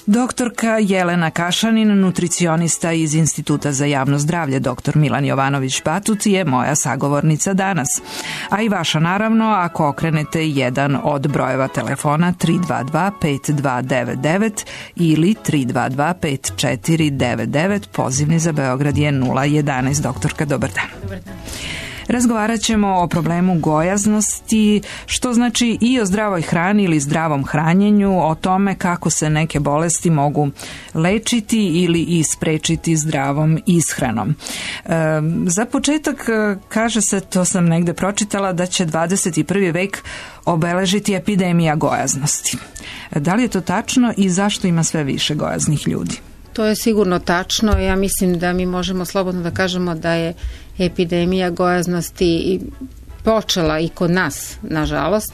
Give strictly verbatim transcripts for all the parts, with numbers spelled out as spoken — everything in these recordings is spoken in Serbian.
Doktorka Jelena Kašanin, nutricionista iz Instituta za javno zdravlje, doktor Milan Jovanović-Batut, je moja sagovornica danas. A i vaša naravno, ako okrenete jedan od brojeva telefona tri dva dva pet dva devet devet ili tri dva dva pet četiri devet devet, pozivni za Beograd je nula jedanaest. Doktorka, dobar dan. Dobar dan. Razgovarat ćemo o problemu gojaznosti, što znači i o zdravoj hrani ili zdravom hranjenju, o tome kako se neke bolesti mogu lečiti ili i sprečiti zdravom ishranom. E, za početak kaže se, to sam negde pročitala, da će dvadeset prvi vek obeležiti epidemija gojaznosti. Da li je to tačno i zašto ima sve više gojaznih ljudi? To je sigurno tačno. Ja mislim da mi možemo slobodno da kažemo da je epidemija gojaznosti počela i kod nas, nažalost.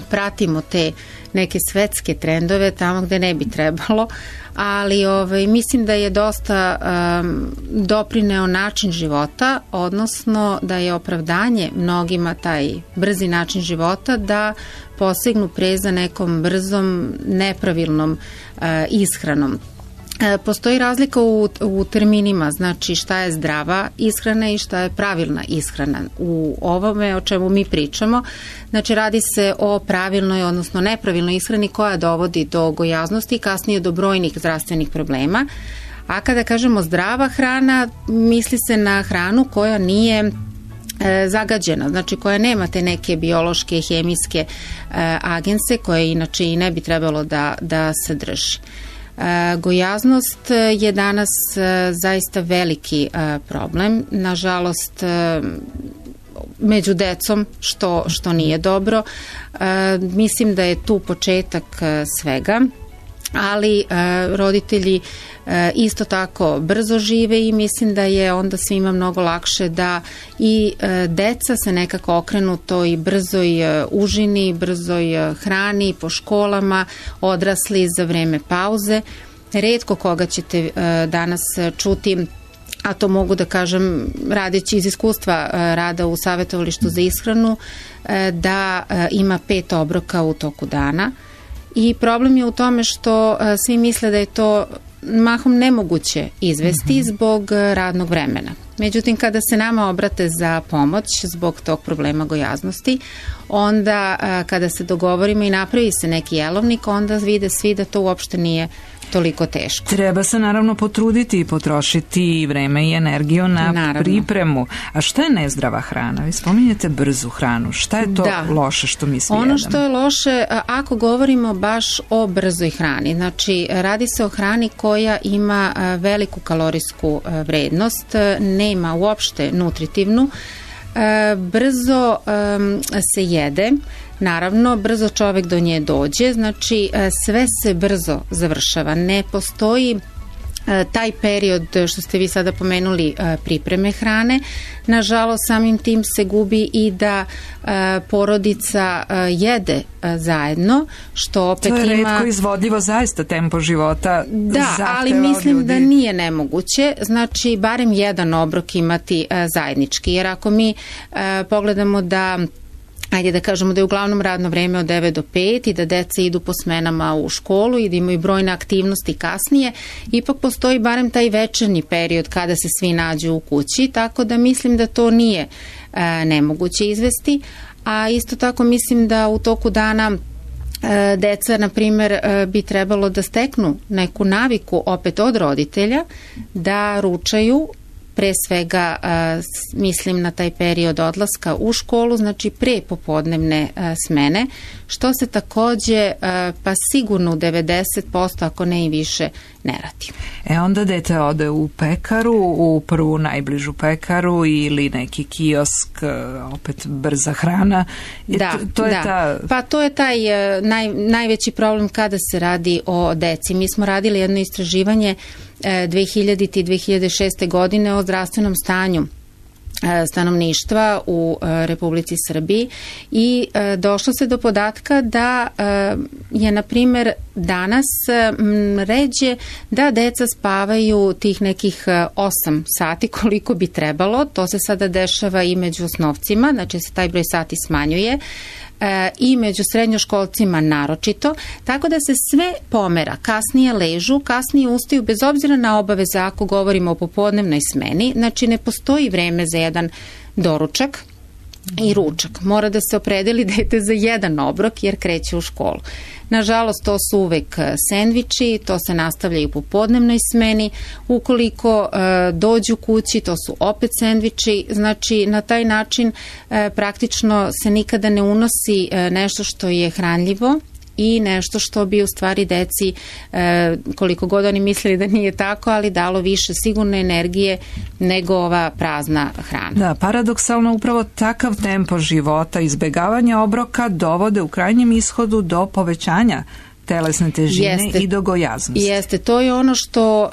Pratimo te neke svetske trendove tamo gde ne bi trebalo, ali ovaj, mislim da je dosta um, doprineo način života, odnosno da je opravdanje mnogima taj brzi način života da posegnu pre za nekom brzom, nepravilnom uh, ishranom. Postoji razlika u, u terminima, znači šta je zdrava ishrana i šta je pravilna ishrana. U ovome o čemu mi pričamo, znači radi se o pravilnoj, odnosno nepravilnoj ishrani koja dovodi do gojaznosti i kasnije do brojnih zdravstvenih problema. A kada kažemo zdrava hrana, misli se na hranu koja nije e, zagađena, znači koja nema te neke biološke, hemijske e, agense koje inače i ne bi trebalo da, da se drži. E, gojaznost je danas e, zaista veliki e, problem, nažalost e, među decom, što, što nije dobro. E, mislim da je tu početak e, svega, ali e, roditelji e, isto tako brzo žive i mislim da je onda svima mnogo lakše da i e, deca se nekako okrenu toj brzoj e, užini, brzoj e, hrani po školama, odrasli za vreme pauze. Retko koga ćete e, danas čuti, a to mogu da kažem radeći iz iskustva e, rada u savjetovalištu za ishranu, e, da e, ima pet obroka u toku dana. I problem je u tome što uh, svi misle da je to mahom nemoguće izvesti mm-hmm. zbog radnog vremena. Međutim, kada se nama obrate za pomoć zbog tog problema gojaznosti, onda uh, kada se dogovorimo i napravi se neki jelovnik, onda vide svi da to uopšte nije toliko teško. Treba se naravno potruditi i potrošiti i vreme i energiju na naravno. pripremu. A šta je nezdrava hrana? Vi spominjete brzu hranu. Šta je to da. loše što mi svi Ono jedemo? što je loše, ako govorimo baš o brzoj hrani, znači radi se o hrani koja ima veliku kalorijsku vrednost, nema uopšte nutritivnu, brzo se jede, naravno brzo čovek do nje dođe, znači sve se brzo završava, ne postoji taj period što ste vi sada pomenuli pripreme hrane. Nažalost, samim tim se gubi i da porodica jede zajedno, što opet ima... To je retko izvodljivo, zaista tempo života da, ali mislim ljudi. Da nije nemoguće, znači barem jedan obrok imati zajednički, jer ako mi pogledamo da ajde da kažemo da je uglavnom radno vreme od devet do pet i da deca idu po smenama u školu i da imaju brojne aktivnosti kasnije, ipak postoji barem taj večernji period kada se svi nađu u kući, tako da mislim da to nije e, nemoguće izvesti, a isto tako mislim da u toku dana e, deca, na primer, e, bi trebalo da steknu neku naviku opet od roditelja da ručaju, pre svega uh, mislim na taj period odlaska u školu, znači pre popodnevne uh, smene, što se takođe uh, pa sigurno u devedeset posto ako ne i više ne radi. E onda dete ode u pekaru, u prvu najbližu pekaru ili neki kiosk, opet brza hrana. I da, to, to je da. Ta... Pa to je taj uh, naj, najveći problem kada se radi o deci. Mi smo radili jedno istraživanje dve hiljadite i dve hiljade šeste. godine o zdravstvenom stanju stanovništva u Republici Srbiji i došlo se do podatka da je, na primer, danas ređe da deca spavaju tih nekih osam sati koliko bi trebalo. To se sada dešava i među osnovcima, znači se taj broj sati smanjuje. e, i među srednjoškolcima naročito, tako da se sve pomera, kasnije ležu, kasnije ustaju, bez obzira na obaveze ako govorimo o popodnevnoj smeni, znači ne postoji vreme za jedan doručak i ručak. Mora da se opredeli dete za jedan obrok jer kreće u školu. Nažalost, to su uvek sendviči, to se nastavlja i u popodnevnoj smeni. Ukoliko e, dođu kući, to su opet sendviči. Znači, na taj način e, praktično se nikada ne unosi e, nešto što je hranljivo i nešto što bi u stvari deci, e, koliko god oni mislili da nije tako, ali dalo više sigurne energije nego ova prazna hrana. Da, paradoksalno upravo takav tempo života, izbegavanja obroka dovode u krajnjem ishodu do povećanja telesne težine jeste, i do gojaznosti. Jeste, to je ono što e,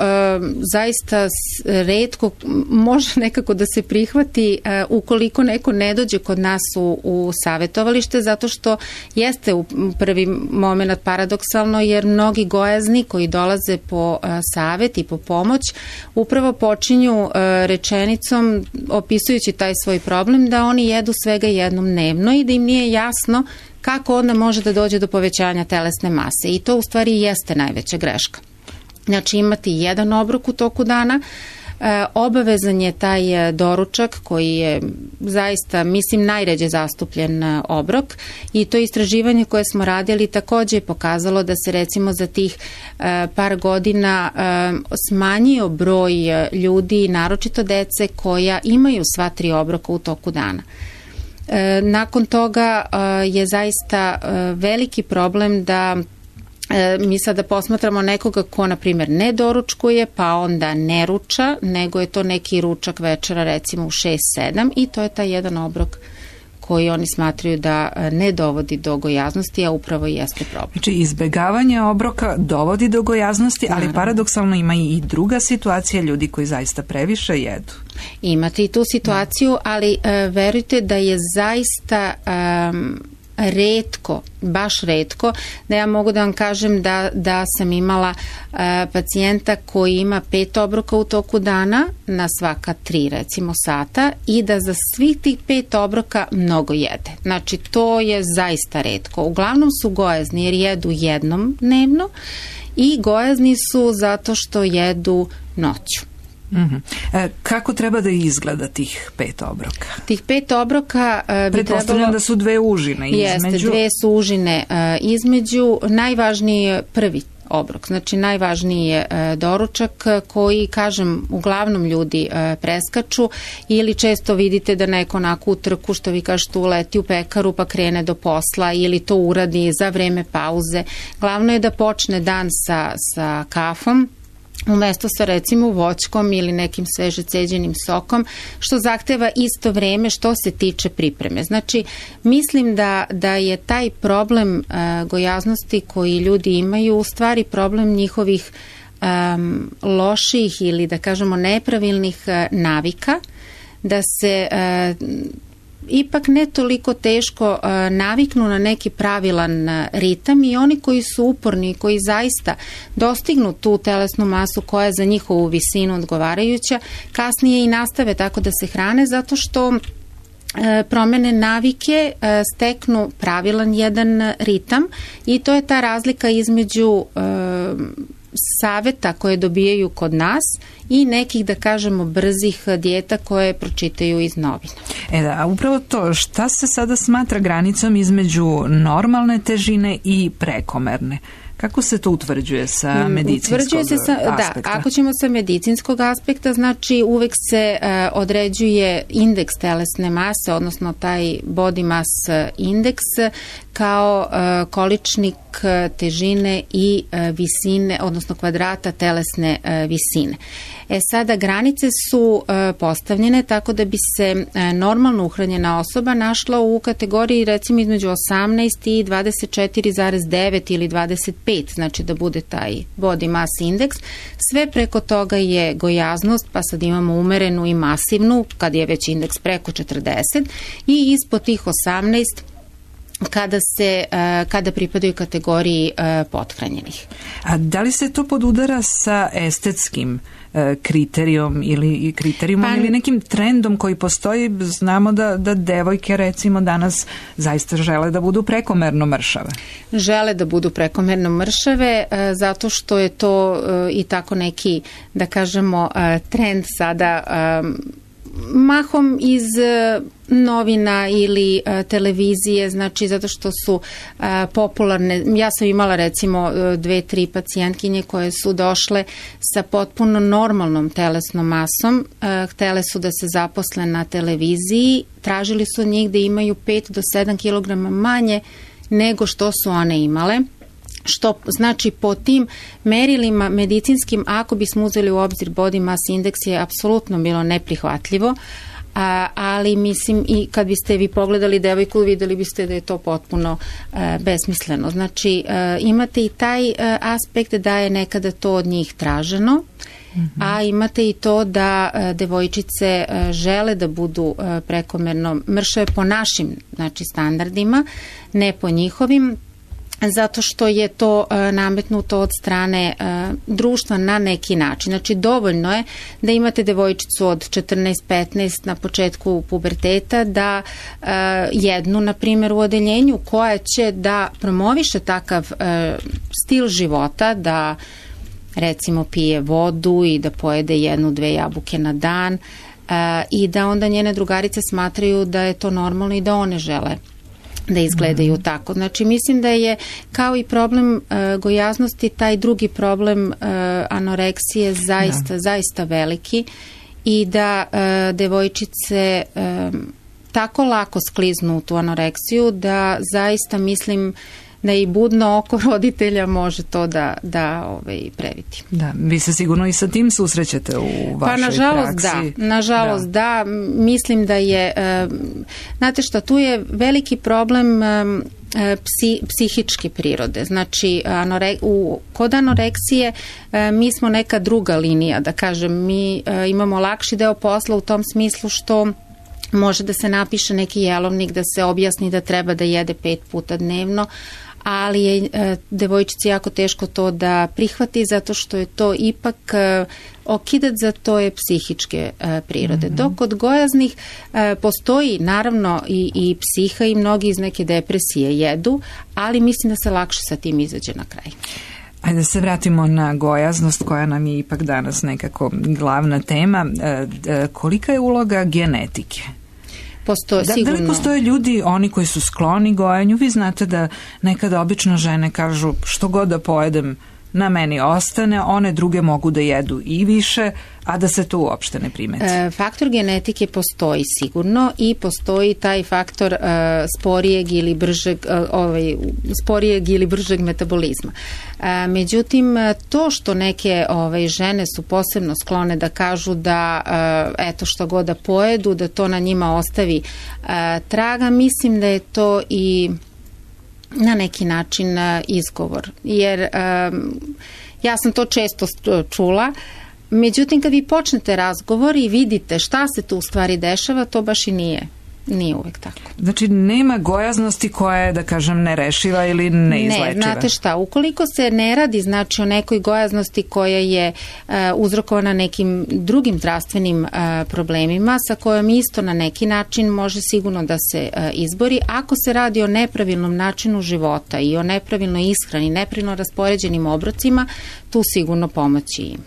zaista retko može nekako da se prihvati e, ukoliko neko ne dođe kod nas u, u savjetovalište, zato što jeste u prvi moment paradoksalno, jer mnogi gojazni koji dolaze po e, savjet i po pomoć upravo počinju e, rečenicom opisujući taj svoj problem da oni jedu svega jednom dnevno i da im nije jasno kako onda može da dođe do povećanja telesne mase. I to u stvari jeste najveća greška. Znači imati jedan obrok u toku dana, e, obavezan je taj doručak koji je zaista, mislim, najređe zastupljen obrok i to istraživanje koje smo radili takođe je pokazalo da se recimo za tih e, par godina e, smanjio broj ljudi, naročito dece koja imaju sva tri obroka u toku dana. Nakon toga je zaista veliki problem da mi sada posmatramo nekoga ko, na primjer, ne doručkuje, pa onda ne ruča, nego je to neki ručak večera recimo u šest sedam i to je taj jedan obrok koji oni smatraju da ne dovodi do gojaznosti, a upravo jeste problem. Znači, izbegavanje obroka dovodi do gojaznosti, ali naravno, paradoksalno ima i druga situacija, ljudi koji zaista previše jedu. Imate i tu situaciju, ali uh, verujte da je zaista um, retko, baš retko, da ja mogu da vam kažem da, da sam imala uh, pacijenta koji ima pet obroka u toku dana na svaka tri recimo sata i da za svih tih pet obroka mnogo jede. Znači to je zaista retko. Uglavnom su gojazni jer jedu jednom dnevno i gojazni su zato što jedu noću. Mm-hmm. E, kako treba da izgleda tih pet obroka? Tih pet obroka uh, bi pretpostavljam da su dve užine između. Jeste, dve su užine uh, između. Najvažniji je prvi obrok, znači najvažniji je uh, doručak koji, kažem, uglavnom ljudi uh, preskaču ili često vidite da neko onako u trku, što vi kažete, uleti u pekaru pa krene do posla ili to uradi za vreme pauze. Glavno je da počne dan sa, sa kafom, umesto sa recimo voćkom ili nekim sveže ceđenim sokom, što zahteva isto vreme što se tiče pripreme. Znači, mislim da, da je taj problem uh, gojaznosti koji ljudi imaju u stvari problem njihovih um, loših ili da kažemo nepravilnih uh, navika, da se uh, ipak ne toliko teško uh, naviknu na neki pravilan uh, ritam i oni koji su uporni, koji zaista dostignu tu telesnu masu koja je za njihovu visinu odgovarajuća, kasnije i nastave tako da se hrane zato što uh, promene navike uh, steknu pravilan jedan ritam i to je ta razlika između uh, saveta koje dobijaju kod nas i nekih, da kažemo, brzih dijeta koje pročitaju iz novina. E da, a upravo to, šta se sada smatra granicom između normalne težine i prekomerne? Kako se to utvrđuje sa medicinskog utvrđuje se sa, aspekta? Da, ako ćemo sa medicinskog aspekta, znači uvek se uh, određuje indeks telesne mase, odnosno taj body mass index kao uh, količnik težine i uh, visine, odnosno kvadrata telesne uh, visine. E sada, granice su uh, postavljene tako da bi se uh, normalno uhranjena osoba našla u kategoriji recimo između osamnaest i dvadeset četiri zarez devet ili dvadeset pet, znači da bude taj body mass index. Sve preko toga je gojaznost, pa sad imamo umerenu i masivnu, kad je već indeks preko četrdeset i ispod tih osamnaest kada se kada pripadaju kategoriji pothranjenih. A da li se to podudara sa estetskim kriterijom ili kriterijumom pa, ili nekim trendom koji postoji? Znamo da, da devojke recimo danas zaista žele da budu prekomerno mršave. Žele da budu prekomerno mršave zato što je to i tako neki, da kažemo, trend sada mahom iz novina ili a, televizije, znači zato što su a, popularne. Ja sam imala recimo dve, tri pacijentkinje koje su došle sa potpuno normalnom telesnom masom, a, htele su da se zaposle na televiziji, tražili su od njih da imaju pet do sedam kilograma manje nego što su one imale. Što znači po tim merilima medicinskim, ako bismo uzeli u obzir body mass index, je apsolutno bilo neprihvatljivo, a, ali mislim i kad biste vi pogledali devojku, videli biste da je to potpuno a, besmisleno. Znači a, imate i taj a, aspekt da je nekada to od njih traženo, mm-hmm. a imate i to da a, devojčice a, žele da budu a, prekomerno mršave po našim, znači, standardima, ne po njihovim, zato što je to e, nametnuto od strane e, društva na neki način. Znači, dovoljno je da imate devojčicu od četrnaest petnaest na početku puberteta, da e, jednu, na primjer, u odeljenju koja će da promoviše takav e, stil života, da recimo pije vodu i da pojede jednu, dve jabuke na dan e, i da onda njene drugarice smatraju da je to normalno i da one žele da izgledaju mm. tako. Znači, mislim da je kao i problem uh, gojaznosti, taj drugi problem uh, anoreksije zaista, da. zaista veliki i da uh, devojčice um, tako lako skliznu u tu anoreksiju da zaista mislim da i budno oko roditelja može to da, da ovaj, previti. Da, vi se sigurno i sa tim susrećete u vašoj pa, nažalost, praksi. Da, nažalost da. da, mislim da je, uh, znate šta, tu je veliki problem um, psi, psihičke prirode. Znači, anore, u, kod anoreksije uh, mi smo neka druga linija, da kažem, mi uh, imamo lakši deo posla u tom smislu što može da se napiše neki jelovnik, da se objasni da treba da jede pet puta dnevno, ali je e, devojčici jako teško to da prihvati zato što je to ipak e, okidac za to je psihičke e, prirode. Mm-hmm. Dok kod gojaznih e, postoji naravno i, i psiha i mnogi iz neke depresije jedu, ali mislim da se lakše sa tim izađe na kraj. Ajde da se vratimo na gojaznost koja nam je ipak danas nekako glavna tema. E, e, kolika je uloga genetike? Postoje, da, sigurno. Da li postoje ljudi, oni koji su skloni gojanju? Vi znate da nekada obično žene kažu što god da pojedem na meni ostane, one druge mogu da jedu i više, a da se to uopšte ne primeti. E, faktor genetike postoji sigurno i postoji taj faktor e, sporijeg ili bržeg e, ovaj, sporijeg ili bržeg metabolizma. E, međutim, to što neke ovaj, žene su posebno sklone da kažu da e, eto što god da pojedu, da to na njima ostavi e, traga, mislim da je to i na neki način izgovor. Jer um, ja sam to često čula, međutim kad vi počnete razgovor i vidite šta se tu u stvari dešava, to baš i nije. Nije uvek tako. Znači, nema gojaznosti koja je, da kažem, nerešiva ili neizlečiva? Ne, znate šta, ukoliko se ne radi, znači, o nekoj gojaznosti koja je uh, uzrokovana nekim drugim zdravstvenim uh, problemima, sa kojom isto na neki način može sigurno da se uh, izbori, ako se radi o nepravilnom načinu života i o nepravilnoj ishrani, nepravilno raspoređenim obrocima, tu sigurno pomoći ima.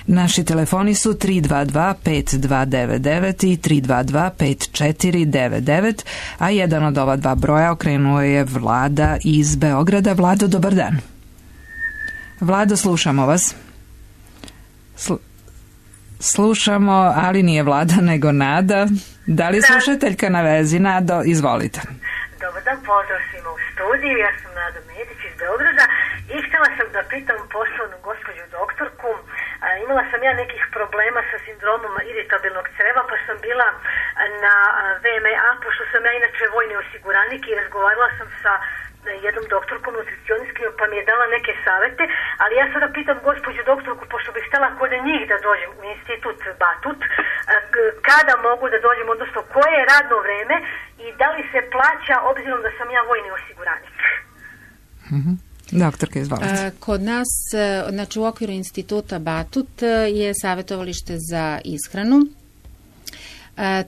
Naši telefoni su tri dva dva pet dva devet devet i tri dva dva pet četiri devet devet, a jedan od ova dva broja okrenuo je Vlada iz Beograda. Vlado, dobar dan. Vlado, slušamo vas. Slu... Slušamo, ali nije Vlada, nego Nada. Da li je slušateljka na vezi? Nado, izvolite. Dobar dan, pozdrav svima u studiju. Ja sam Nada Medić iz Beograda i htjela sam da pitam poštovanu gospođu doktorku. A, imala sam ja nekih problema sa sindromom iritabilnog creva, pa sam bila na V M A, pošto sam ja inače vojni osiguranik i razgovarala sam sa jednom doktorkom nutricioniskim, pa mi je dala neke savete, ali ja sada pitam gospođu doktorku, pošto bih htjela kod njih da dođem u institut Batut, kada mogu da dođem, odnosno koje je radno vreme i da li se plaća obzirom da sam ja vojni osiguranik. Mhm. Doktorka, izvolite. Kod nas, znači u okviru instituta Batut je savjetovalište za ishranu.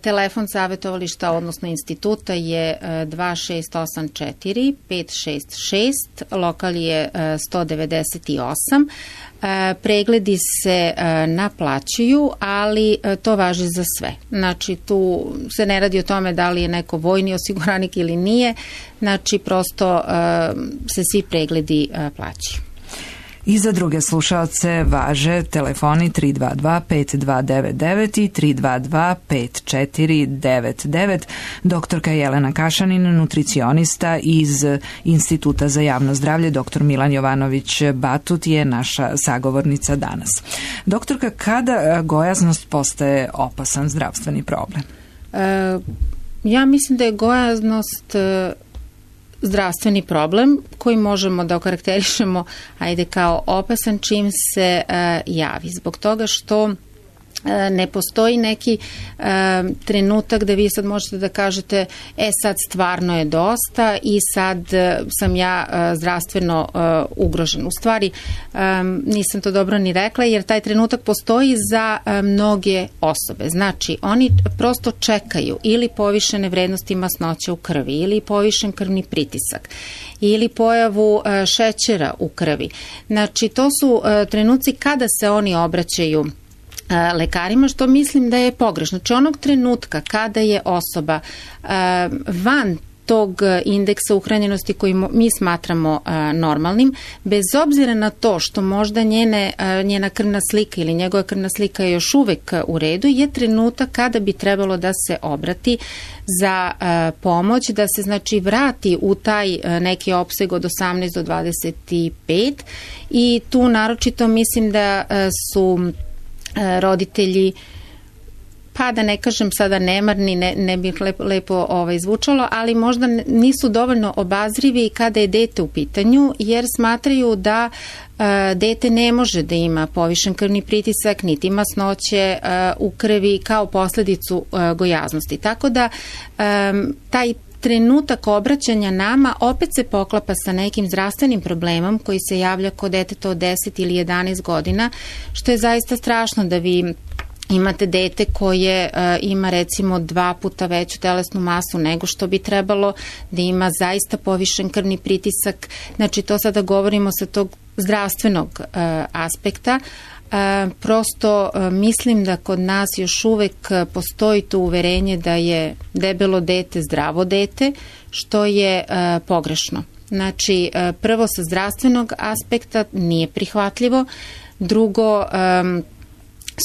Telefon savjetovališta, odnosno instituta je dva šest osam četiri pet šest šest, lokal je sto devedeset osam. Pregledi se naplaćuju, ali to važi za sve. Znači tu se ne radi o tome da li je neko vojni osiguranik ili nije, znači prosto se svi pregledi plaćaju. I za druge slušaoce važe telefoni tri dva dva pet dva devet devet i tri dva dva pet četiri devet devet. Doktorka Jelena Kašanin, nutricionista iz Instituta za javno zdravlje, doktor Milan Jovanović Batut je naša sagovornica danas. Doktorka, kada gojaznost postaje opasan zdravstveni problem? E, ja mislim da je gojaznost zdravstveni problem koji možemo da okarakterišemo, ajde, kao opasan čim se uh, javi. Zbog toga što uh, ne postoji neki uh, trenutak da vi sad možete da kažete e sad stvarno je dosta i sad uh, sam ja uh, zdravstveno uh, ugrožen. U stvari um, nisam to dobro ni rekla, jer taj trenutak postoji za uh, mnoge osobe. Znači oni prosto čekaju ili povišene vrednosti masnoća u krvi, ili povišen krvni pritisak, ili pojavu uh, šećera u krvi. Znači to su uh, trenuci kada se oni obraćaju lekarima, što mislim da je pogrešno. Znači onog trenutka kada je osoba uh, van tog indeksa uhranjenosti koji mi smatramo uh, normalnim, bez obzira na to što možda njene, uh, njena krvna slika ili njegova krvna slika je još uvek u redu, je trenutak kada bi trebalo da se obrati za uh, pomoć, da se znači vrati u taj uh, neki opseg od osamnaest do dvadeset pet, i tu naročito mislim da uh, su roditelji, pa da ne kažem sada nemarni, ne, ne bi lepo, lepo ovaj, zvučalo, ali možda nisu dovoljno obazrivi kada je dete u pitanju, jer smatraju da uh, dete ne može da ima povišen krvni pritisak, niti masnoće uh, u krvi kao posledicu uh, gojaznosti. Tako da um, taj trenutak obraćanja nama opet se poklapa sa nekim zdravstvenim problemom koji se javlja kod deteta od deset ili jedanaest godina, što je zaista strašno da vi imate dete koje uh, ima recimo dva puta veću telesnu masu nego što bi trebalo, da ima zaista povišen krvni pritisak. Znači to sada govorimo sa tog zdravstvenog uh, aspekta. Uh, prosto uh, mislim da kod nas još uvek uh, postoji to uverenje da je debelo dete zdravo dete, što je uh, pogrešno. Znači, uh, prvo sa zdravstvenog aspekta nije prihvatljivo, drugo, um,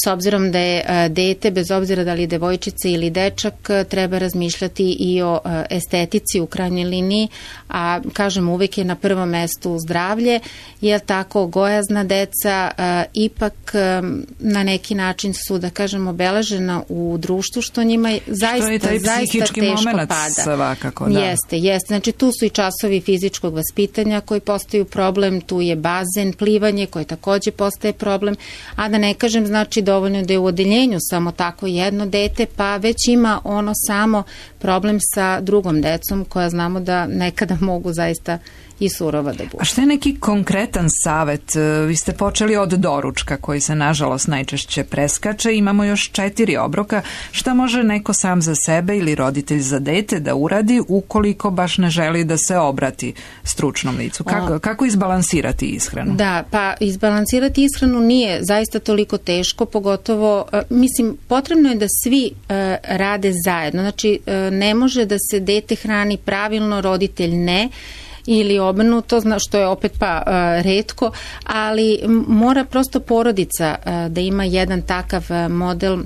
s obzirom da je uh, dete, bez obzira da li je devojčica ili dečak, uh, treba razmišljati i o uh, estetici u krajnjoj liniji, a kažem uvek je na prvom mestu zdravlje, jer tako gojazna deca uh, ipak um, na neki način su, da kažem, obeležena u društvu, što njima zaista, što je taj zaista teško pada. Svakako, da. Jeste, jeste. Znači tu su i časovi fizičkog vaspitanja koji postaju problem, tu je bazen, plivanje koji takođe postaje problem, a da ne kažem, znači dovoljno da je u odeljenju samo tako jedno dete, pa već ima ono samo problem sa drugom decom koja znamo da nekada mogu zaista i surova da budu. A što je neki konkretan savet? Vi ste počeli od doručka koji se nažalost najčešće preskače. Imamo još četiri obroka. Šta može neko sam za sebe ili roditelj za dete da uradi ukoliko baš ne želi da se obrati stručnom licu? Kako, kako izbalansirati ishranu? Da, pa izbalansirati ishranu nije zaista toliko teško, pogotovo, mislim, potrebno je da svi uh, rade zajedno. Znači, uh, ne može da se dete hrani pravilno, roditelj ne, ili obrnuto, što je opet pa uh, retko, ali mora prosto porodica uh, da ima jedan takav uh, model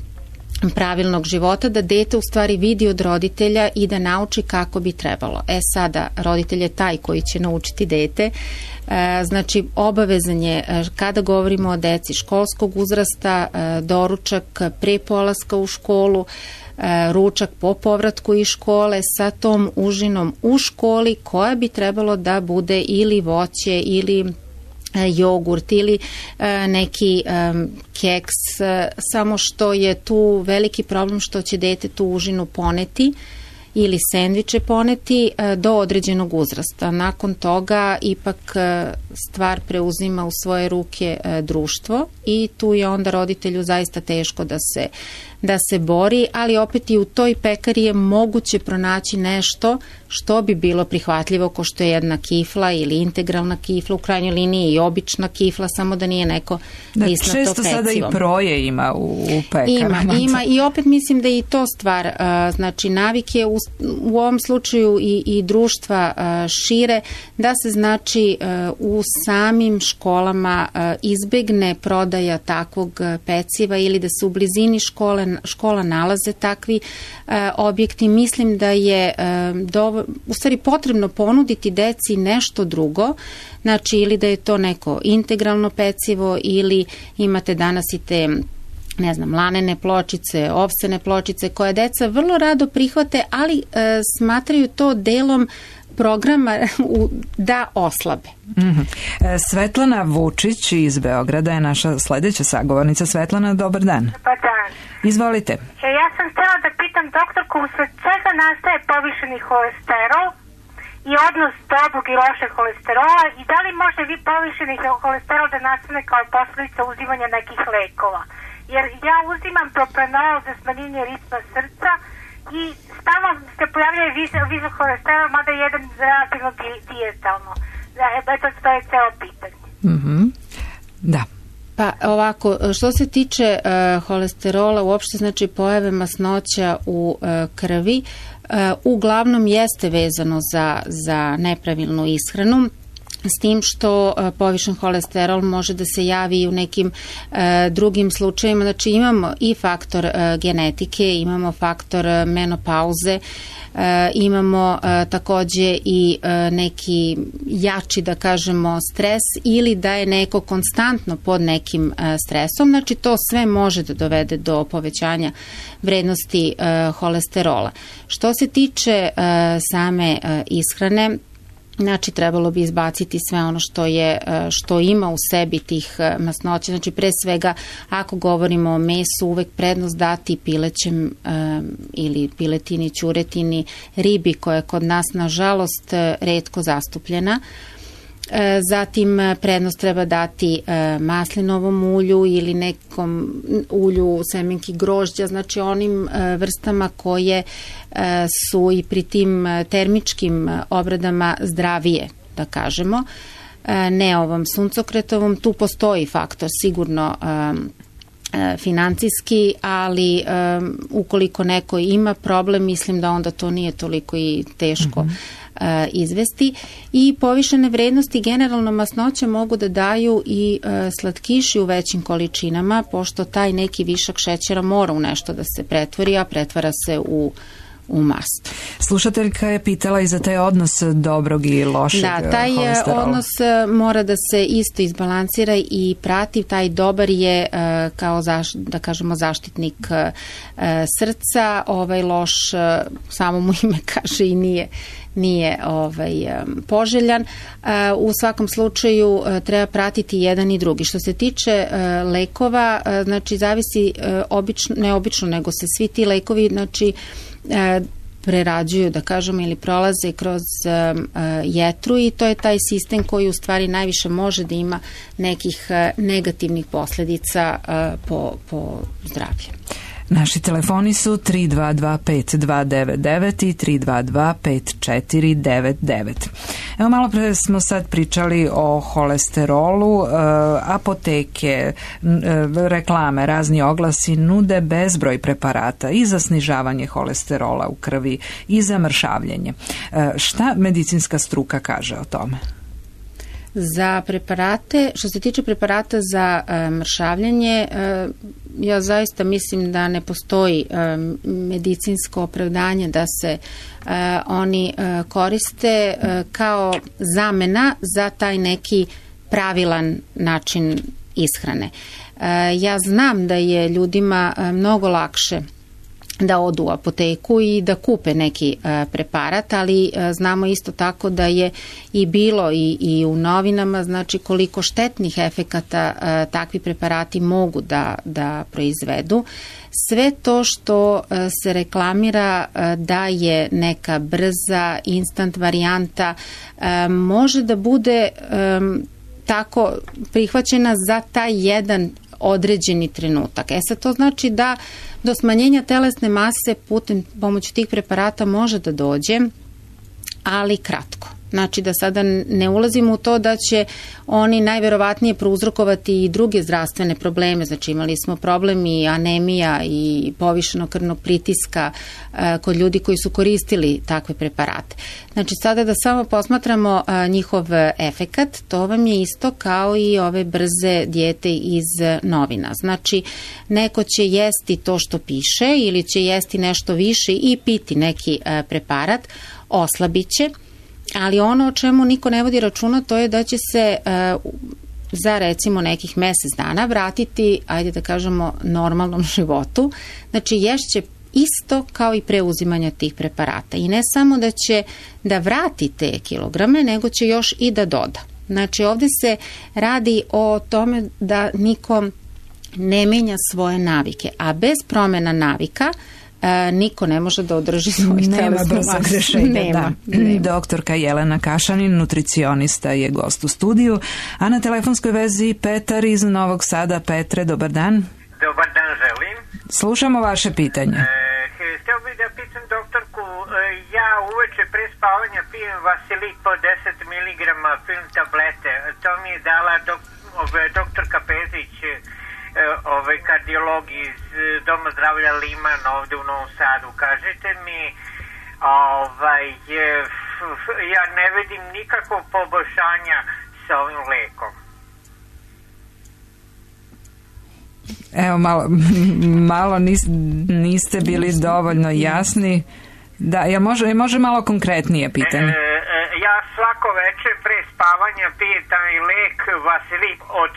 pravilnog života, da dete u stvari vidi od roditelja i da nauči kako bi trebalo. E sada, roditelj je taj koji će naučiti dete. E, znači, obavezan je, kada govorimo o deci školskog uzrasta, e, doručak pre polaska u školu, e, ručak po povratku iz škole sa tom užinom u školi, koja bi trebalo da bude ili voće ili jogurt ili neki keks, samo što je tu veliki problem što će dete tu užinu poneti ili sendviče poneti do određenog uzrasta. Nakon toga ipak stvar preuzima u svoje ruke društvo i tu je onda roditelju zaista teško da se, da se bori, ali opet i u toj pekari je moguće pronaći nešto što bi bilo prihvatljivo, ko što je jedna kifla ili integralna kifla, u krajnjoj liniji i obična kifla, samo da nije neko da, lisnato pecivo. Često sada i proje ima u, u pekarama. Ima, ima i opet mislim da je i to stvar, znači navike u, u ovom slučaju i, i društva šire, da se znači u samim školama izbegne prodaja takvog peciva ili da se u blizini škole, škola nalaze takvi objekti. Mislim da je dovoljno, u stvari potrebno ponuditi deci nešto drugo, znači ili da je to neko integralno pecivo ili imate danas i te, ne znam, lanene pločice, ovsene pločice koje deca vrlo rado prihvate, ali e, smatraju to delom programa da oslabe. Mm-hmm. Svetlana Vučić iz Beograda je naša sledeća sagovornica. Svetlana, dobar dan. Dobar dan. Izvolite. E, ja sam htjela da pitam doktorku, usled čega nastaje povišeni holesterol i odnos dobrog i lošeg holesterola i da li može vi povišeni holesterol da nastane kao posljedica uzimanja nekih lekova? Jer ja uzimam propranolol za smanjenje ritma srca i stalno se pojavljaju visok holesterol, mada je jedan relativno dijetalno. Eto, to je celo pitanje. Mm-hmm. Da. Pa ovako, što se tiče uh, holesterola, uopšte znači pojave masnoća u uh, krvi, uh, uglavnom jeste vezano za, za nepravilnu ishranu, s tim što uh, povišen holesterol može da se javi i u nekim uh, drugim slučajima. Znači imamo i faktor uh, genetike, imamo faktor uh, menopauze, uh, imamo uh, takođe i uh, neki jači, da kažemo, stres ili da je neko konstantno pod nekim uh, stresom. Znači to sve može da dovede do povećanja vrednosti uh, holesterola. Što se tiče uh, same uh, ishrane, znači trebalo bi izbaciti sve ono što je, što ima u sebi tih masnoća. Znači pre svega ako govorimo o mesu, uvek prednost dati pilećem um, ili piletini, ćuretini, ribi koja je kod nas nažalost retko zastupljena. Zatim prednost treba dati maslinovom ulju ili nekom ulju semenki grožđa, znači onim vrstama koje su i pri tim termičkim obradama zdravije, da kažemo. Ne ovom suncokretovom, tu postoji faktor sigurno financijski, ali um, ukoliko neko ima problem, mislim da onda to nije toliko i teško mm-hmm. uh, izvesti. I povišene vrednosti generalno masnoće mogu da daju i uh, slatkiši u većim količinama, pošto taj neki višak šećera mora u nešto da se pretvori, a pretvara se u u mast. Slušateljka je pitala i za taj odnos dobrog i lošeg da, taj holesterola. Odnos mora da se isto izbalansira i prati. Taj dobar je kao zaš, da kažemo zaštitnik srca, ovaj loš samo mu ime kaže i nije nije ovaj poželjan. U svakom slučaju treba pratiti jedan i drugi. Što se tiče lekova, znači zavisi obično, ne obično, nego se svi ti lekovi znači prerađuju, da kažemo, ili prolaze kroz um, jetru i to je taj sistem koji u stvari najviše može da ima nekih uh, negativnih posledica uh, po, po zdravlje. Naši telefoni su tri dva dva pet dva devet devet i tri dva dva pet četiri devet devet. Evo, malo pre smo sad pričali o holesterolu, e, apoteke, e, reklame, razni oglasi nude bezbroj preparata i za snižavanje holesterola u krvi i za mršavljenje. E, šta medicinska struka kaže o tome? Za preparate, što se tiče preparata za e, mršavljanje, e, ja zaista mislim da ne postoji e, medicinsko opravdanje da se e, oni e, koriste e, kao zamena za taj neki pravilan način ishrane. E, ja znam da je ljudima e, mnogo lakše da odu u apoteku i da kupe neki e, preparat, ali e, znamo isto tako da je i bilo i, i u novinama, znači koliko štetnih efekata e, takvi preparati mogu da, da proizvedu. Sve to što e, se reklamira e, da je neka brza, instant varijanta, e, može da bude e, tako prihvaćena za taj jedan određeni trenutak. E sad to znači da do smanjenja telesne mase putem pomoću tih preparata može da dođe, ali kratko. Znači da sada ne ulazimo u to da će oni najverovatnije prouzrokovati i druge zdravstvene probleme. Znači imali smo problem i anemija i povišenog krvnog pritiska e, kod ljudi koji su koristili takve preparate. Znači sada da samo posmatramo e, njihov efekat, to vam je isto kao i ove brze dijete iz novina. Znači neko će jesti to što piše ili će jesti nešto više i piti neki e, preparat, oslabit će. Ali ono o čemu niko ne vodi računa, to je da će se uh, za recimo nekih mesec dana vratiti, ajde da kažemo, normalnom životu. Znači ješće isto kao i preuzimanja tih preparata. I ne samo da će da vrati te kilograme, nego će još i da doda. Znači ovde se radi o tome da niko ne menja svoje navike, a bez promena navika E, niko ne može da održi svoj telesnu masu. Nema. Da. Doktorka Jelena Kašanin, nutricionista, je gost u studiju, a na telefonskoj vezi Petar iz Novog Sada. Petre, dobar dan. Dobar dan, želim. Slušamo vaše pitanje. E, htio bih da pitam doktorku, ja uveče pre spavanja pijem Vasilik po deset miligrama film tablete. To mi je dala dok, doktorka Pezić, ovaj kardiolog iz Doma zdravlja Liman ovde u Novom Sadu. Kažete mi, ovaj, ja ne vidim nikakvog poboljšanja sa ovim lekom. Evo, malo, malo nis, niste bili dovoljno jasni. Da, jel može, može malo konkretnije pitanje? E, e, ja svako večer pre spavanja pijem taj lek Vasilik od,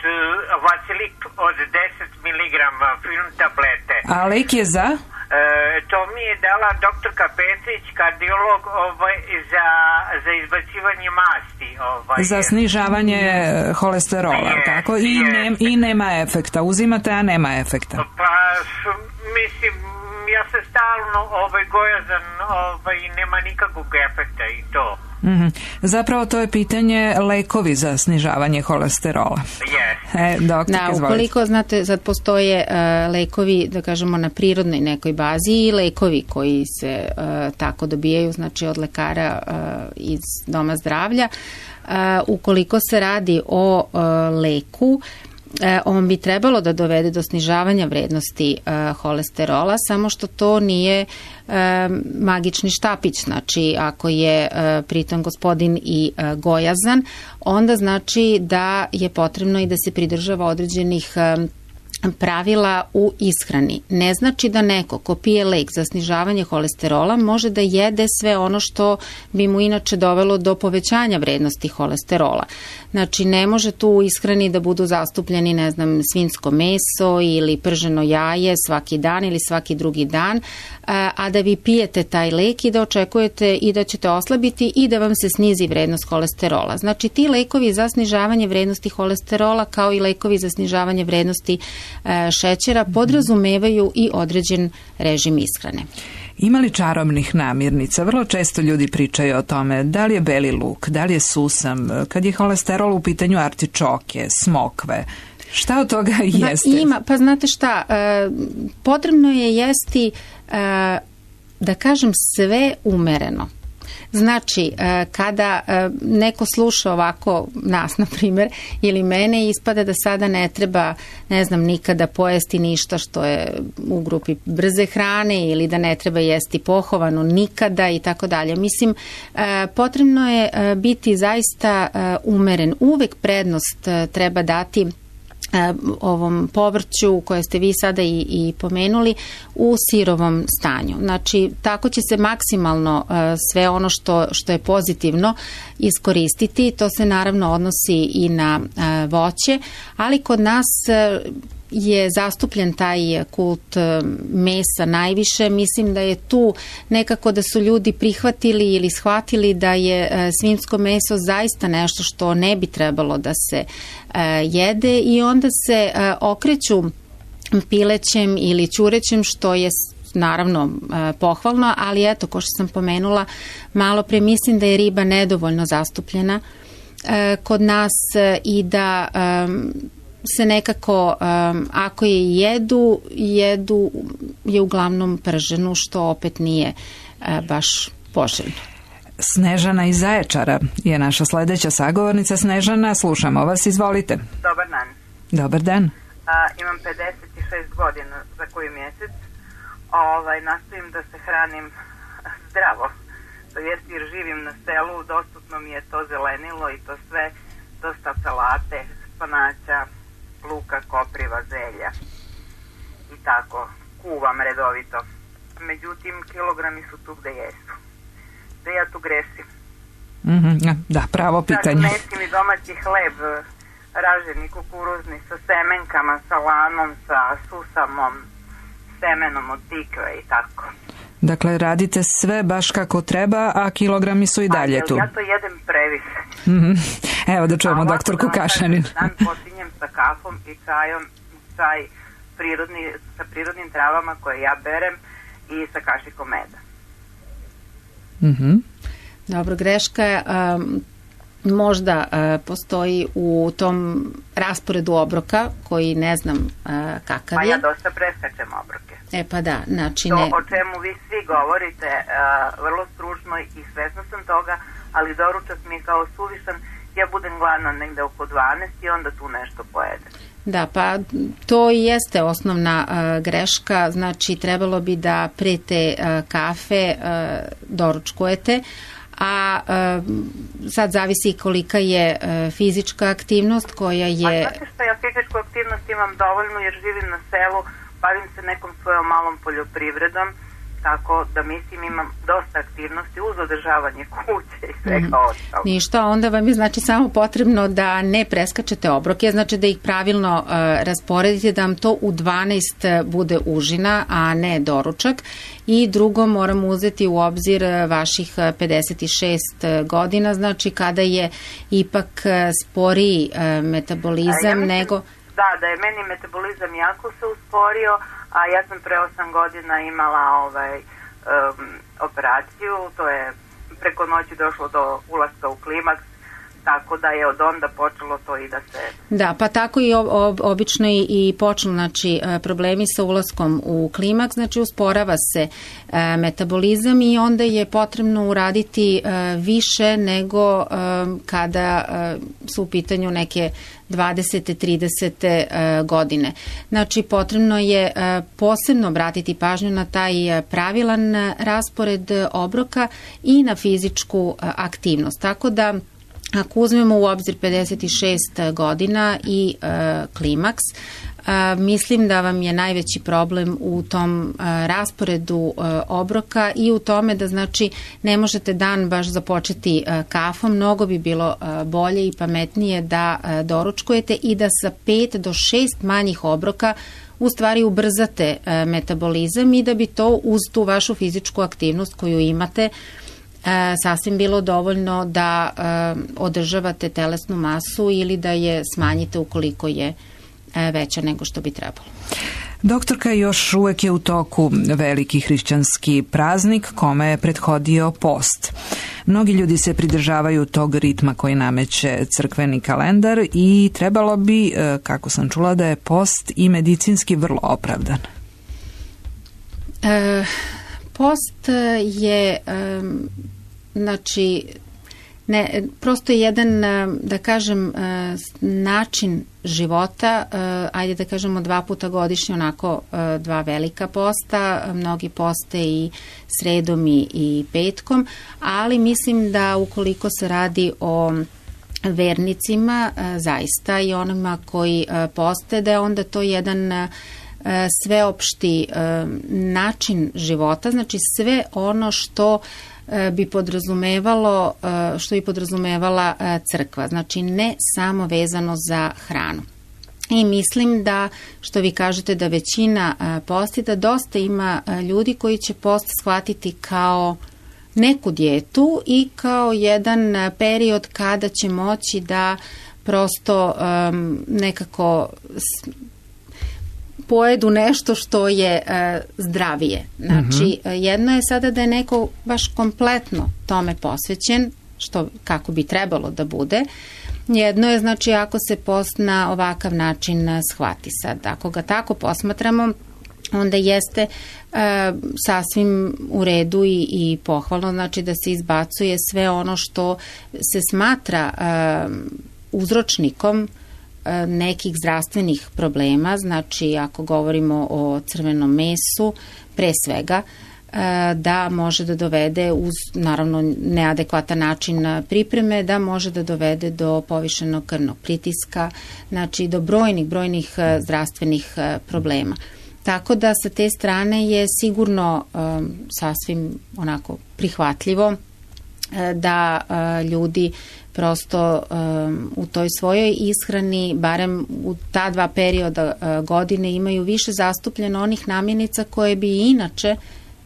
Vasilik od deset miligrama film tablete. A lek je za? E, to mi je dala doktorka Pecić, kardiolog, ovaj, za, za izbacivanje masti. Ovaj. Za snižavanje holesterola, je, tako? I, ne, I nema efekta. Uzimate, a nema efekta. Pa, mislim, ja sam stalno ovaj, gojazan ovaj, i nema nikakvog efekta i to. Mm-hmm. Zapravo to je pitanje lekovi za snižavanje holesterola. Yes. E, doktor, da, ukoliko, znate, sad postoje uh, lekovi, da kažemo, na prirodnoj nekoj bazi i lekovi koji se uh, tako dobijaju, znači od lekara uh, iz Doma zdravlja. Uh, ukoliko se radi o uh, leku, E, on bi trebalo da dovede do snižavanja vrednosti e, holesterola, samo što to nije e, magični štapić. Znači, ako je e, pritom gospodin i e, gojazan, onda znači da je potrebno i da se pridržava određenih e, pravila u ishrani. Ne znači da neko ko pije lek za snižavanje holesterola može da jede sve ono što bi mu inače dovelo do povećanja vrednosti holesterola. Znači ne može tu u ishrani da budu zastupljeni, ne znam, svinjsko meso ili prženo jaje svaki dan ili svaki drugi dan, a da vi pijete taj lek i da očekujete i da ćete oslabiti i da vam se snizi vrednost holesterola. Znači ti lekovi za snižavanje vrednosti holesterola kao i lekovi za snižavanje vrednosti šećera podrazumevaju i određen režim ishrane. Ima li čarobnih namirnica? Vrlo često ljudi pričaju o tome da li je beli luk, da li je susam, kad je holesterol u pitanju artičoke, smokve. Šta od toga jeste? Da, ima, pa znate šta, e, potrebno je jesti, e, da kažem, sve umereno. Znači, kada neko sluša ovako nas, na primjer, ili mene, ispada da sada ne treba, ne znam, nikada pojesti ništa što je u grupi brze hrane ili da ne treba jesti pohovano nikada i tako dalje. Mislim, potrebno je biti zaista umeren. Uvek prednost treba dati ovom povrću koje ste vi sada i, i pomenuli u sirovom stanju. Znači, tako će se maksimalno uh, sve ono što, što je pozitivno iskoristiti. To se naravno odnosi i na uh, voće, ali kod nas uh, je zastupljen taj kult mesa najviše. Mislim da je tu nekako da su ljudi prihvatili ili shvatili da je svinjsko meso zaista nešto što ne bi trebalo da se jede i onda se okreću pilećem ili ćurećem, što je naravno pohvalno, ali eto, ko što sam pomenula malo pre, mislim da je riba nedovoljno zastupljena kod nas i da se nekako, ako je jedu, jedu je uglavnom prženu, što opet nije baš poželjno. Snežana iz Zaječara je naša sledeća sagovornica. Snežana, slušamo vas, izvolite. Dobar dan. Dobar dan. A, imam pedeset šest godina za koji mjesec. Ovaj, nastojim da se hranim zdravo. To jest jer živim na selu, dostupno mi je to zelenilo i to sve, dosta salate, spanaća, luka, kopriva, zelja i tako. Kuvam redovito. Međutim, kilogrami su tu gde jesu. Da ja tu gresim. Mm-hmm, da, pravo pitanje. Dakle, nesim i domaći hleb, raženi, kukuruzni, sa semenkama, sa lanom, sa susamom, semenom od tikve i tako. Dakle, radite sve baš kako treba, a kilogrami su i dalje tu. Ja to jedem previše. Mm-hmm. Evo da čujemo doktorku Kašanin. Dan počinjem sa kafom i čajom, čaj prirodni, sa prirodnim travama koje ja berem i sa kašikom meda. Mhm. Dobro, greška je, um, možda uh, postoji u tom rasporedu obroka koji ne znam uh, kakav je. Pa ja dosta preskačem obroke. E pa da, znači to ne... o čemu vi svi govorite uh, vrlo stručno i svesna sam toga, ali doručak mi je kao suvišan, ja budem gladna negde oko dvanaest i onda tu nešto pojedem. Da, pa to i jeste osnovna uh, greška, znači trebalo bi da pre te uh, kafe uh, doručkujete, a uh, sad zavisi kolika je uh, fizička aktivnost koja je... A znate što, ja fizičku aktivnost imam dovoljno jer živim na selu, bavim se nekom svojom malom poljoprivredom, tako da mislim imam dosta aktivnosti uz održavanje kuće i svega mm. ostalo. Ništa, onda vam je znači samo potrebno da ne preskačete obroke, znači da ih pravilno uh, rasporedite, da vam to u dvanaest bude užina, a ne doručak. I drugo, moramo uzeti u obzir vaših pedeset šest godina, znači kada je ipak sporiji uh, metabolizam ja mislim, nego... Da, da je meni metabolizam jako se usporio, a ja sam pre osam godina imala ovaj, um, operaciju, to je preko noći došlo do ulaska u klimaks, tako da je od onda počelo to i da se... Da, pa tako i ob, obično i, i počelo, znači problemi sa ulaskom u klimaks, znači usporava se e, metabolizam i onda je potrebno uraditi e, više nego e, kada e, su u pitanju neke dvadesete, tridesete godine. Znači, potrebno je posebno obratiti pažnju na taj pravilan raspored obroka i na fizičku aktivnost. Tako da, ako uzmemo u obzir pedeset šest godina i e, klimaks, e, mislim da vam je najveći problem u tom e, rasporedu e, obroka i u tome da znači ne možete dan baš započeti e, kafom, mnogo bi bilo e, bolje i pametnije da e, doručkujete i da sa pet do šest manjih obroka u stvari ubrzate e, metabolizam i da bi to uz tu vašu fizičku aktivnost koju imate E, sasvim bilo dovoljno da e, održavate telesnu masu ili da je smanjite ukoliko je e, veća nego što bi trebalo. Doktorka, još uvek je u toku veliki hrišćanski praznik kome je prethodio post. Mnogi ljudi se pridržavaju tog ritma koji nameće crkveni kalendar i trebalo bi, e, kako sam čula, da je post i medicinski vrlo opravdan. E, post je... E, Znači, ne, prosto je jedan, da kažem, način života, ajde da kažemo dva puta godišnje, onako dva velika posta, mnogi poste i sredom i, i petkom, ali mislim da ukoliko se radi o vernicima, zaista i onima koji poste, da je onda to jedan sveopšti način života, znači sve ono što bi podrazumevalo, što bi podrazumevala crkva, znači ne samo vezano za hranu. I mislim da, što vi kažete, da većina posti, da dosta ima ljudi koji će post shvatiti kao neku dijetu i kao jedan period kada će moći da prosto um, nekako pojedu nešto što je uh, zdravije. Znači, uh-huh. jedno je sada da je neko baš kompletno tome posvećen, što kako bi trebalo da bude. Jedno je, znači, ako se post na ovakav način shvati sad. Ako ga tako posmatramo, onda jeste e, sasvim u redu i, i pohvalno, znači da se izbacuje sve ono što se smatra e, uzročnikom e, nekih zdravstvenih problema, znači ako govorimo o crvenom mesu, pre svega, da može da dovede uz naravno neadekvatan način pripreme, da može da dovede do povišenog krvnog pritiska, znači do brojnih, brojnih zdravstvenih problema. Tako da sa te strane je sigurno um, sasvim onako prihvatljivo da uh, ljudi prosto um, u toj svojoj ishrani, barem u ta dva perioda uh, godine, imaju više zastupljeno onih namirnica koje bi inače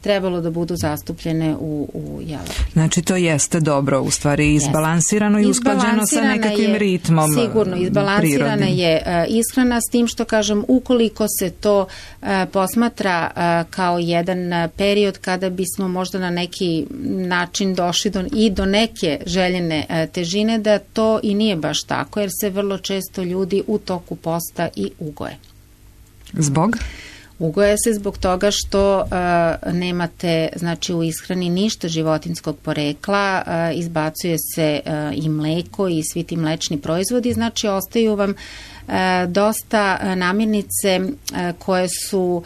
trebalo da budu zastupljene u, u jelu. Znači to jeste dobro, u stvari izbalansirano i usklađeno sa nekakvim je, ritmom prirodnim. Sigurno, izbalansirana prirodnim. je uh, ishrana, s tim što kažem, ukoliko se to uh, posmatra uh, kao jedan uh, period kada bismo možda na neki način došli do, i do neke željene uh, težine, da to i nije baš tako, jer se vrlo često ljudi u toku posta i ugoje. Zbog? Ugoje se zbog toga što uh, nemate, znači, u ishrani ništa životinskog porekla, uh, izbacuje se uh, i mleko i svi ti mlečni proizvodi, znači ostaju vam uh, dosta uh, namirnice uh, koje su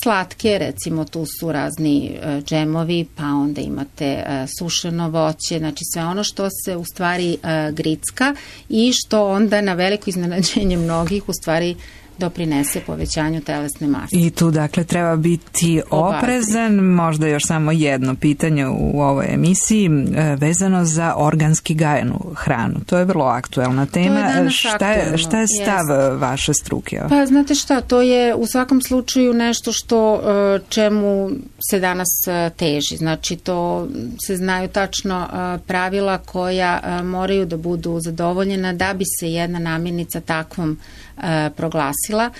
slatke, recimo tu su razni uh, džemovi, pa onda imate uh, sušeno voće, znači sve ono što se u stvari uh, gricka i što onda na veliko iznenađenje mnogih u stvari doprinese povećanju telesne mase. I tu dakle treba biti oprezan. Možda još samo jedno pitanje u ovoj emisiji vezano za organski gajenu hranu. To je vrlo aktuelna tema. Je šta, je, šta je stav yes. vaše struke? Pa znate šta, to je u svakom slučaju nešto što čemu se danas teži. Znači to se znaju tačno pravila koja moraju da budu zadovoljena da bi se jedna namirnica takvom proglasila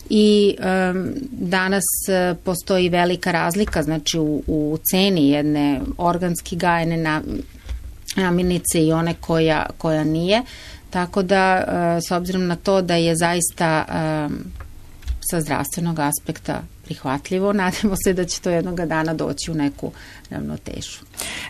i um, danas uh, postoji velika razlika, znači u, u ceni jedne organski gajene na, namirnice i one koja, koja nije, tako da uh, s obzirom na to da je zaista um, sa zdravstvenog aspekta prihvatljivo, nadamo se da će to jednoga dana doći u neku ravnotežu.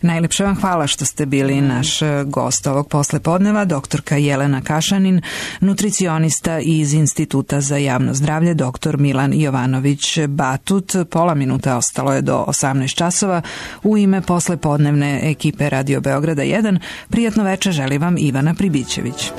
Najlepše vam hvala što ste bili naš gost ovog poslepodneva, doktorka Jelena Kašanin, nutricionista iz Instituta za javno zdravlje, doktor Milan Jovanović Batut. Pola minuta ostalo je do osamnaest časova. U ime poslepodnevne ekipe Radio Beograda jedan, prijatno večer želi vam Ivana Pribićević.